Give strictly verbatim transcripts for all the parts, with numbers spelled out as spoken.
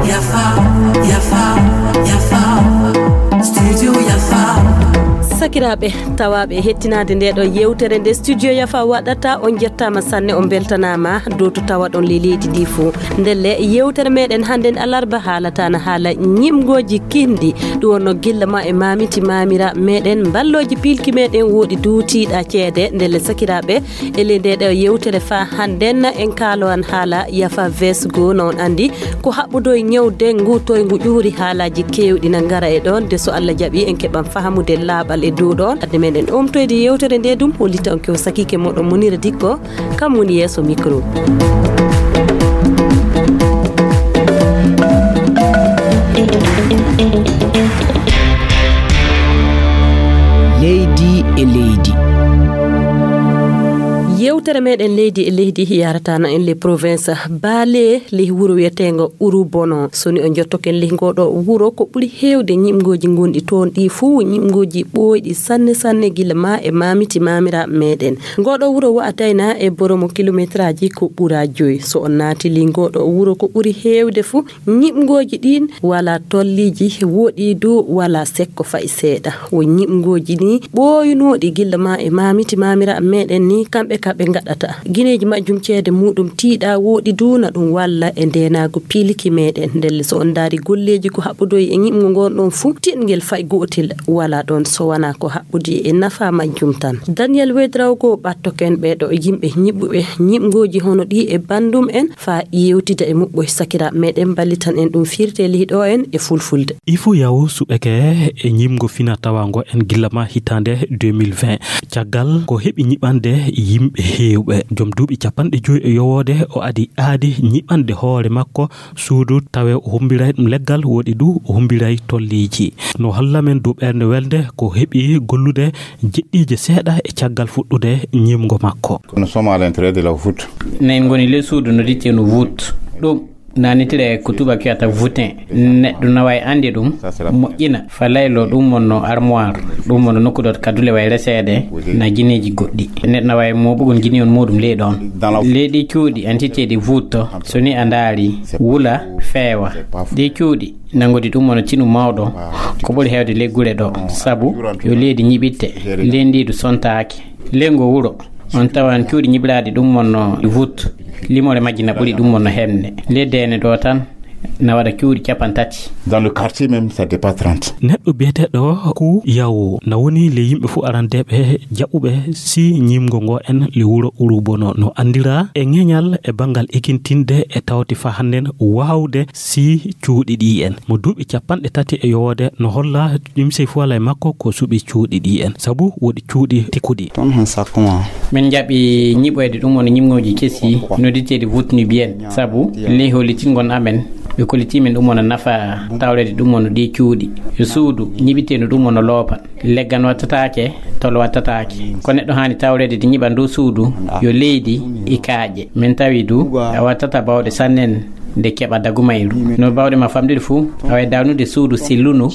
Yafa, yafa, yafa. Studio yafa. Sakiraaɓe, tawaaɓe e hettinaade nde ɗo yewtere nde Studio Yafa waɗata, on njettaama sanne, on mbeltanaama dow to tawaɗon le leydi ndi fof. Ndelle yewtere meɗen hannden alarba haalata na haala ñiɓngooji kinɗi. Ɗum wonno gilla ma e mamiti mamira meɗen, mballooji pilki meɗen woɗi duutiiɗa ceede. Ndelle sakiraaɓe, e ley nde ɗo yewtere fa hannden en kaalo an haala yafa vesgo, no on anndi ko haɓɓudo e ñaw dengu, to e ngu ƴuuri haalaaji keewɗi na ngara e ɗon. De so Allah jaɓi en keɓan fahamude laaɓal e dow ɗon. Adde meɗen omtoyde yewtere nde ɗum, hollita on kew sakiike moɗon Munira Dikko, kam woni yeeso micro. Leydi e leydi. Yewtere meɗen leydi e leydi yaratana en le province Bale, le wuro wiyeteengo Urubono. So ni o jottoken le ngoɗo wuro, ko ɓuri heewde ñiɓngooji ngonɗi toon ɗi fuu, ñiɓngooji ɓooyɗi sanne sanne gila ma e mamiti mamira meɗen. Ngoɗo wuro wa'atayna e boromo kilometraaji ko ɓura joyi. So on naati le ngoɗo wuro, ko ɓuri heewde fuu, ñiɓngooji ɗin wala tolliiji, woɗi du wala sekko fay seeɗa. Wo ñiɓngooji ni ɓooyunooɗi gilla ma e mamiti mamira meɗen ni, kamɓe ka ɓe ngaɗata. Gineeji majjum ceede muɗum tiiɗa woɗi du na ɗum walla e ndeenaagu piliki meɗen. Ndelle so on ndaari golleeji ko haɓɓudoyi e ñiɓngo ngon ɗon fuu, tiɗngel fay gootel wala ɗon so wona ko haɓɓude e nafa majjum tan. Daniel Wedraogo ɓattoken ɓe ɗo yimɓe ñiɓɓuɓe ñiɓngooji hono ɗi e bandum en, fa yewtida e muɓɓo e sakiraaɓe meɗen, mballitan en ɗum firte lihiɗo en e fulfulde. Ifo yawo suɓeke e ñimgo fina tawango en gilla ma hitande deux mille vingt. Caggal ko heɓi ñiɓande yimɓe heewɓe, joom duuɓi capanɗe joyi e yowoode, o adi aadi ñiɓande hoore makko suudu, tawe o humbiray ɗum leggal, woɗi du o humbiray tolliiji. No holla men dow ɓernde welde ko heɓi gollude jeɗɗiije seeɗa e caggal fuɗɗude ñimgo makko. Nous sommes à l'entrée de la voûte. Nayi ngoni le suudu no ditte no voûte. Ɗum nanitire ko tubaak wiyata voûtin. Neɗɗo na wawi ande ɗum, moƴƴina, fa laylo ɗum wonno armoire, ɗum wonno nokku ɗo kadule way reseede, na gineeji goɗɗi. Neɗɗo na wawi mooɓugol gini on muɗum ley ɗon. Ley ɗi cuuɗi entité ɗi voûte, so ni a ndaari, wula, feewa. Ɗi cuuɗi nangudi ɗum wonno tinu mawɗo, ko ɓuri heewde ley gure ɗo, sabu yo leydi ñiɓitte, ley ndiidu sontaaki. Ley ngo wuro, on tawan cuuɗi ñiɓiraaɗi ɗum wonno voûte, limoore majji na ɓuri ɗum wonno hemne. Ley deene ɗo tan na waɗa cuuɗi capanɗe tati. Dans le quartier même, ça dépasse trente. Neɗɗo biyeteeɗo Ku Yawo na woni le yimɓe fuu arandeeɓe jaɓuɓe si ñimgo ngo en le wuro Urubono. No anndira e ŋeñal e banngal ekintinde e tawti fa hannden waawde si cuuɗi ɗi en. Mo duuɓi capanɗe tati e yowoode no holla ɗimsey fuu alaa e makko ko suɓi cuuɗi ɗi en, sabu woɗi cuuɗi tikkuɗi. Toon han sakkumaa. Min njaɓi ñiɓoyde ɗum woni ñimngooji kesi noddirteeɗi voûte nubienne, sabu ley hollitingol amen, ɓe kollitii min ɗum wona nafa tawreede ɗum wona ɗi cuuɗi. Yo suudu ñiɓiteendu ɗum wona loopan. Leggal wattataake, tol wattataake. Ko neɗɗo haani tawreede de ñiɓa ndu suudu, yo leydi e kaaƴe. Min tawi du, a wattata bawɗe sannen nde keɓa dagumayru. No bawɗe ma famɗude fuu, a wawi dawnude suudu silluno,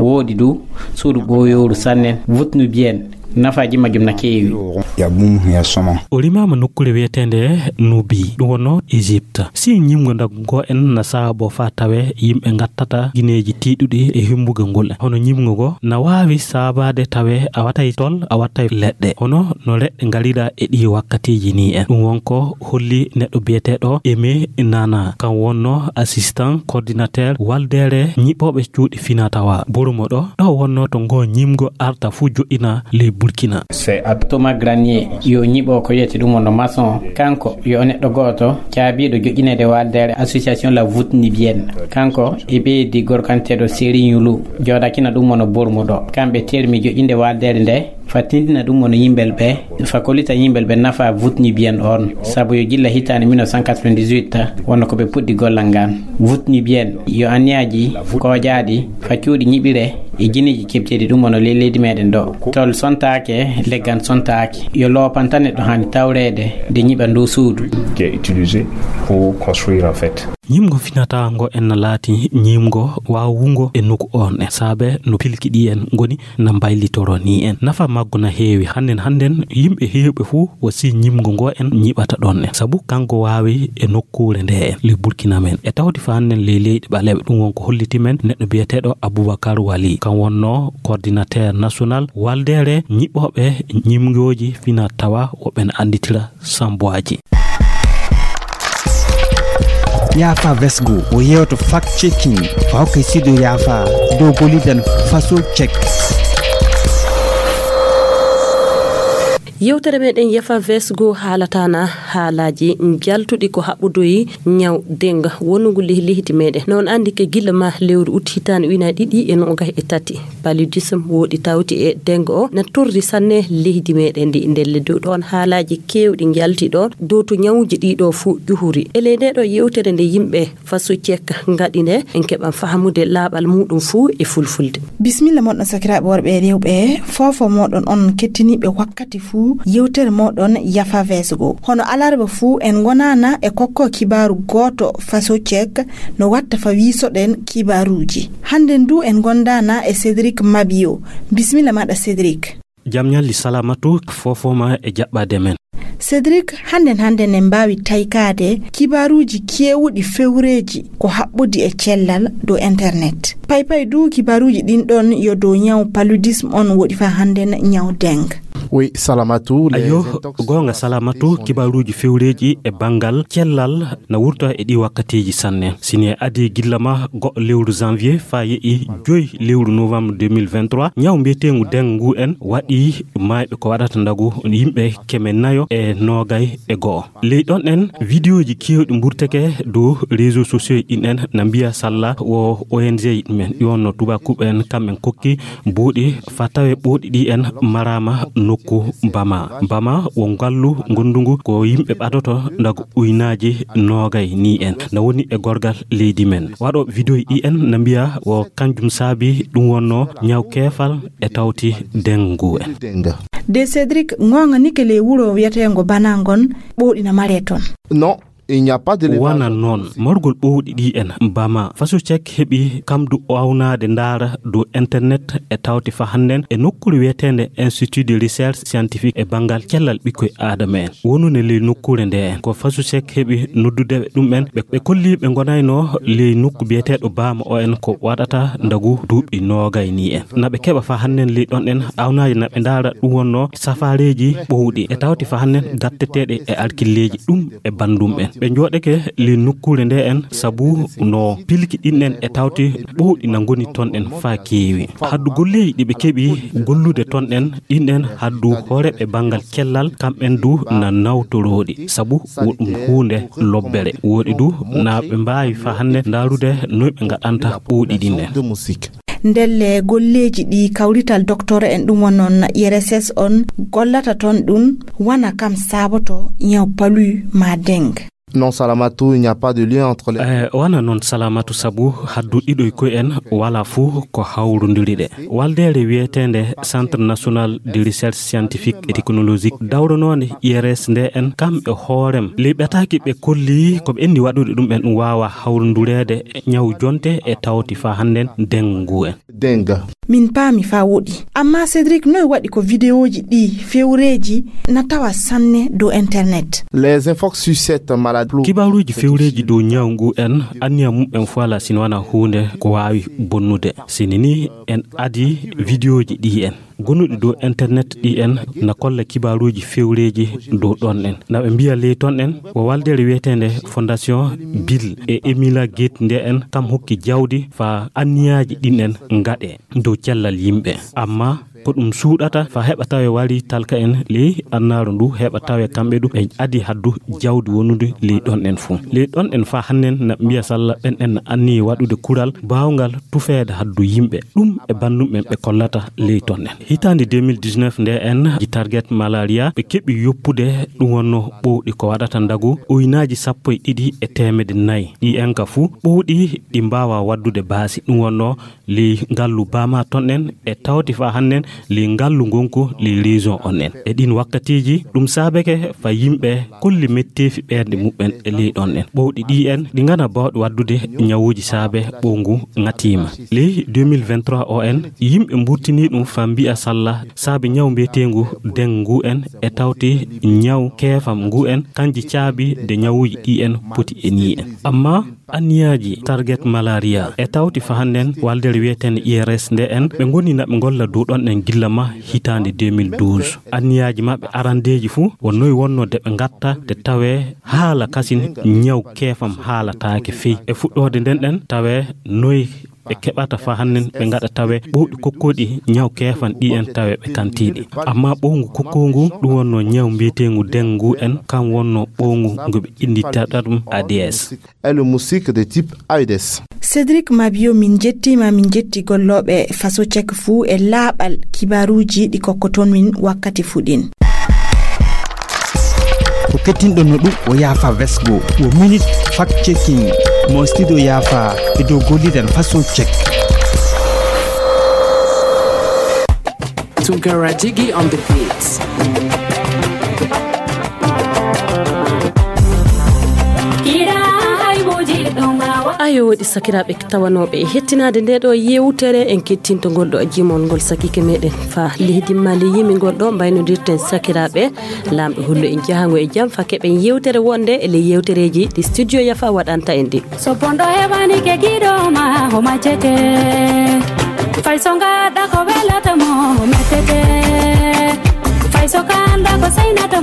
woodi du, suudu ɓooyooru sannen, voûte nubienne. Nafaaji majjum na keewi. Ya bum, ya soma. O limaama nokkuure wiyeteende Nubi, ɗum wonno Égypte. Si ñimgo ndagu ngo en na saabo fa tawe yimɓe ngattata gineeji tiiɗuɗi e himmbuga ngol. Hono ñimgo ngo na waawi saabaade tawe a wattay tol, a wattay leɗɗe. Hono no leɗɗe ngarira e ɗi wakkatiiji ni en. Ɗum wonko holli neɗɗo biyeteeɗo Aimé Nana. Kan wonno assistant coordinateur waldeere ñiɓooɓe cuuɗi fina tawa. Borumo ɗo, ɗo wonno to ngo ñimgo arta fuu joɗɗina ley Burkina. C'est à Thomas Granier, yo ñiɓo ko wiyete ɗum wonno maçon. Kanko yo neɗɗo gooto caabiiɗo joƴƴineede waldeere association La Voûte Nubienne. Kanko e ɓeydi gorkanteeɗo Serigne Lou, jooɗakina ɗum wonno Borumo ɗo. Kamɓe termi joƴƴinde waldeere nde, fa tindina ɗum wonno yimɓel ɓe, fa kollita yimɓel ɓe nafa voûte nubienne on, sabu yo gilla hitaande mille neuf cent quatre-vingt-dix-huit wonno ko ɓe puɗɗi gollal ngal. Voûte nubienne yo anniyaaji kojaaɗi fa cuuɗi ñiɓire e gineeji keɓteeɗi ɗum wonno ley leydi meɗen ɗo. Tol sontaake, leggal sontaake. Yo loopan tan neɗɗo haani tawreede nde ñiɓa ndu suudu. Qui est utilisé pour construire en fait. Ñiiɓngo finataango en na laati ñiiɓngo waawungo e nokku on en, saabe no pilki ɗi en ngoni na mbaylitoro ni en. Nafa maggo na heewi. Hannden hannden, yimɓe heewɓe fuu wo si ñiiɓngo ngo en ñiiɓata ɗon en, sabu kanko waawi e nokkuure nde en, ley Burkina men. E tawti fa hannden ley leyɗe ɓaleeɓe, ɗum won ko holliti men neɗɗo biyeteeɗo Abubakar Wali. Kan wonno coordinateur national waldeere ñiiɓooɓe ñiiɓngooji fina tawa woɓɓe na annditira Samboaji. Yaafa Vesgo o yewto fact checking, o hokka sido yaafa dow golidan faso check. Yewtere meɗen Yafa Vesgo haalata na haalaaji njaltuɗi ko haɓɓudoyi ñaw denga wonugol ley leydi meɗen. Noon anndi ke gila ma lewru ut hitaande ujunaaji ɗiɗi e noogay e tati. Paludisme woɗi tawti e denga o na torri sanne leydi meɗen ndi. Ndelle dow ɗoon haalaaji keewɗi njalti ɗoon dow to ñawuuji ɗiɗo fuu ƴuhuri. E ley nde ɗo yewtere nde yimɓe faso check ngaɗi nde, en keɓan fahamude laaɓal muɗum fuu e fulfulde. Bisimilla moɗon sakiraaɓe worɓe e rewɓe, foofo moɗon on kettiniiɓe wakkati fuu yewtere moɗon Yafa Vesgo. Hono alarba fuu en ngonana e kokko kibaaru gooto faso check no watta fa wiisoɗen kibaaruuji. Hannden du en ngondaana e Cédric Mabio. Bisimilla maɗa Cédric. Jam ñalli Salamatu, foofo ma e jaɓɓaade men. Cédric, hannden hannden en mbaawi taykaade kibaaruuji keewuɗi fewreeji ko haɓɓudi e cellal dow internet. Paypay du kibaaruuji ɗin ɗon yo dow ñaw paludisme on woɗi fa hannden ñaw dengue. Oui, Salamatu, les Ayo, intox- goonga Salamatu, kibaaruuji fewreeji e banngal cellal na wurta e ɗi wakkatiiji sanne. Sini e adii gilla ma go'o lewru janvier faa ye'i joy lewru novembre deux mille vingt-trois, ñaw mbiyeteengu dengue ngu en waɗi maayɓe ko waɗata ndagu yimɓe keme nayo e noogay e go'o. Ley ɗon en, vidéoji keewɗi mburteke dow réseaux sociaux ɗin en na mbiya salla wo O N G men, ɗi wonno tubakuɓe en, kamɓen kokki buuɗi fa tawe ɓooɗi ɗi en maraama nokku Bama. Bama wo ngallu ngondungu ko yimɓe ɓadoto ndagu uynaaji noogay ni en, na woni e gorgal leydi men. Waɗo vidéo ɗi en na mbiya wo kanjum saabi ɗum wonno ñaw keefal e tawti dengue en. De Cédric, ngoonga nike ley wuro wiyeteengo Bana ngon ɓooɗi na maree ton. Non, il n'y a pas de Wana noon, margol ɓowɗi ɗi en Bama, faso check heɓi kamdu awnaade ndaara dow internet e tawti fa hannden e nokkuure wiyeteende Institut de Recherche Scientifique e banngal cellal ɓikkoy aadama en. Wonunde ley nokkuure nde en, ko faso check heɓi noddude ɓe ɗum en, ɓe, ɓe kolli ɓe ngonayno ley nokku biyeteeɗo Bama o en ko waɗata ndagu duuɓi noogay ni en. Na ɓe keɓa fa hannden ley ɗon en awnaaji na ɓe ndaara ɗum wonno safaareeji ɓowɗi e tawti fa hannden datteteeɗe e alkilleeji ɗum e banndum en. Ɓe njooɗeke ley nokkuure nde en sabu no pilki ɗin en e tawti ɓowɗi na ngoni ton en faa keewi. Haddu golleeji ɗi ɓe keɓi gollude ton en ɗin en haddu hooreeɓe banngal cellal kamɓen du na nawtorooɗi sabu wo ɗum huunde lobbere. Woɗi du na ɓe mbaawi fa hannden ndaarude noy ɓe ngaɗanta ɓowɗi ɗin en. Ndelle golleeji ɗi kawrital docteur en ɗum wonno I R S S on gollata ton ɗum wana kam saboto ñaw palu ma dengue. Non, Salamatu, il n'y a pas de lien entre les Eh, wana noon Salamatu sabu haddu ɗiɗo e koye en wala fuu ko hawrondiri ɗe. Waldeere wiyeteende Centre National de Recherche Scientifique et Technologique dawranoonde I R S nde en kam e hoorem. Ley ɓetaaki ɓe kolli ko ɓe enni waɗude ɗum en ɗum waawa hawrondureede e ñaw jonte e tawti fa hannden dengue ngu en. Dengue. Min paami fa woɗi. Amma Cédric, noy waɗi ko vidéoji ɗi fewreeji na tawa sanne dow internet? Les infos sur cette maladie. Kibaaruuji fewreeji dow ñaw ngu en, anniya mum en fo ala sino wana huunde ko waawi bonnude. Sini ni en adi vidéoji ɗi en gonuɗi dow internet ɗi en na kolla kibaaruuji fewreeji dow ɗon en. Na ɓe mbiya ley ton en ko waldeere wiyeteende Fondation Bill e Emila Gates nde en kam hokki jawdi fa anniyaaji ɗin en ngaɗe dow cellal yimɓe. Amma ko ɗum suuɗata fa heɓa tawe wari talka en ley annaaru ndu heɓa tawe kamɓe du ɓe adi haddu jawdi wonude ley ɗon en fuu. Ley ɗon en fa hannden na mbiya salla ɓen en anniyi waɗude kural baawngal tufeede haddu yimɓe. Ɗum e banndum ɓen ɓe kollata ley ton en. Hitaande deux mille dix-neuf nde en ji target malaria ɓe keɓi yoppude ɗum wonno ɓowɗi ko waɗata ndagu uynaaji sappo e ɗiɗi e teemede nayi. Ɗi en ka fuu ɓowɗi ɗi mbaawa waddude baasi ɗum wonno ley ngallu Bama ton en e tawti fa hannden ley ngallu ngonku ley région on en. E ɗin wakkatiiji, ɗum saabake fa yimɓe kolli metteefi ɓernde muɓɓen e ley ɗon en. Ɓowɗi ɗi en, ɗi ngana baawɗi waddude ñawuuji saabe ɓowngu ŋatiima. Ley deux mille vingt-trois o en, yimɓe mburtini ɗum fa mbi'a salla saabe ñaw mbiyeteengu dengue ngu en e tawti ñaw keefam ngu en, kanji caabi de ñawuuji ɗi en poti e ni en. Amma anniyaaji Target Malaria e tawti fa hannden waldere wiyeteende I R S nde en, ɓe ngoni na ɓe ngolla dow ɗon en gilla ma hitaande deux mille douze. Anniyaaji maɓɓe arandeeji fuu wo noy wonno de ɓe ngatta de tawee haala kasin ñaw keefam haalataake fey. E fuɗɗoode nden ɗen tawee noy ɓe keɓata fa hannden ɓe ngaɗa tawee ɓowɗi kokkooɗi ñaw keefam ɗi en tawee ɓe kantiiɗi. Amma ɓowngu kokkoongu ɗum wonno ñaw mbiyeteengu dengue ngu en, kam wonno ɓowngu ngu ɓe inndirta ɗum A D S. Est le moustique de type Aedes. Cédric Mabio, min njettiima, min njetti gollooɓe Faso Check fuu e laaɓal kibaruuji ɗi kokkoton min wakkati fuu ɗin. Ko kettinɗon no ɗum o Yaafa Vesgo, o Minute Fact Checking, mo studio Yaafa e dow golliren Faso Check. Tunkara Jiggy on the beats. Ayo, woɗi sakiraaɓe tawanooɓe e hettinaade nde ɗo yewtere, en kettinto ngol ɗo jimol ngol sakiike meɗen fa leydi Mali yimi ngol ɗo mbaynodirten sakiraaɓe. Laamɗo hollu en jahango e jam fa keɓen yewtere wonde e ley yewtereeji ɗi studio Yafa waɗanta en ɗi. So bonɗo heɓani ke giɗo ma, o majjete. Fay so ngaɗa ko welata mo, o mettete. Fay so kanda ko saynata